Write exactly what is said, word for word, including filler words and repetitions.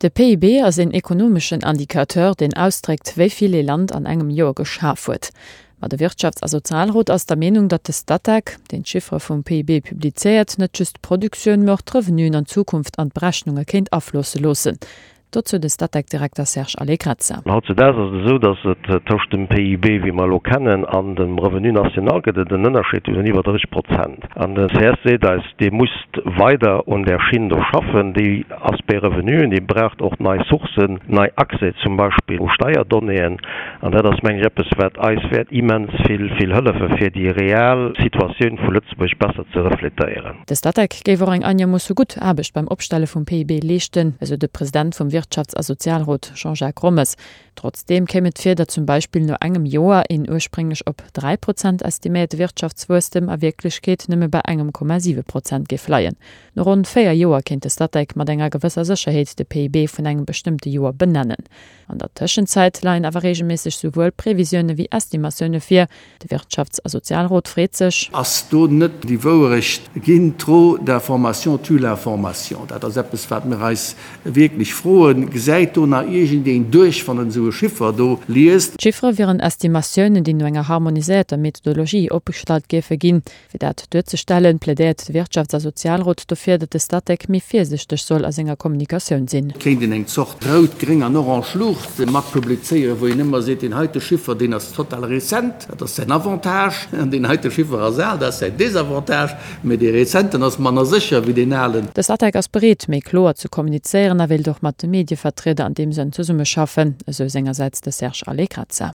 De P I B ass een ekonomeschen Indicateur, deen ausdréckt, wéi vill ee Land an engem Joer geschaf huet. Ma de Wirtschafts a Sozialrot ass der Meenung, datt de Statec, deen d'Chiffere vum P I B publizéiert, net just d'Produktioun, mä och d'Revenuen an Zukunft an d'Berechnunge kéint afloosse loossen. Dozou de Statec-Direkter Serge Allegrezza. Hautzedaags ass et esou, datt et tëscht dem P I B, wéi mer elo kennen, an dem Revenu national gëtt et en Ënnerscheed vun iwwer drësseg Prozent. An de C S seet eis, Dir musst weider un där Schinn do schaffen, déi Aspect Revenuen, déi braucht och nei Sourcen, nei Accès zum Beispill u Steierdonnéeën. An dat ass, mengen ech, eppes, wat eis wäert immens vill, vill hëllefe fir déi real Situatioun vu Lëtzebuerg besser ze refletéieren. De Statec géif och eng einermoosse gutt Aarbecht beim Opstelle vum P I B leeschten, esou de President vum Wirtschafts a Sozialrot Jean-Jacques Rommes. Trotzdeem kéim et vir, datt zum Beispill no engem Joer een ursprénglech op dräi Prozent estiméierte Wirtschaftswuesstem a Wierklechkeet nëmme bei engem Komma siwe Prozent géif leien. No ronn véier Joer kéint de Statec mat enger gewësser Sécherheet de P I B vun engem bestëmmte Joer benennen. An der Tëschenzäit leien awer reegelméisseg souwuel Previsioune wéi Estimatioune vir. De Wirtschafts a Sozialrot freet sech. Ass do net déi Wouerecht ginn? Trop d'information tue l'information. Dat ass eppes, wat mir eis wierklech froen. Gesäit do nach iergendeen duerch, wann en esou e Chiffer do liest? D'Chiffere wieren Estimatiounen, déi no enger harmoniséierter Methodologie opgestallt géife ginn. Fir dat duerzestellen, plädéiert de Wirtschafts a Sozialrot dofir, datt de Statec méi virsichteg soll a senger Kommunikatioun sinn. Et kéint een eng Zort rout, gréng an orange Luucht mat publizéieren, wou een ëmmer seet, deen heite Chiffer, deen ass total rezent, dat ass säin Avantage, an deen heite Chiffer ass al, dat ass säin Desavantage, mä dee rezenten ass manner sécher wéi deen alen. De Statec ass bereet, méi kloer ze kommunizéieren a wéilt och mat de Medievertrieder an deem Sënn zesummeschaffen, esou sengersäits de Serge Allegrezza.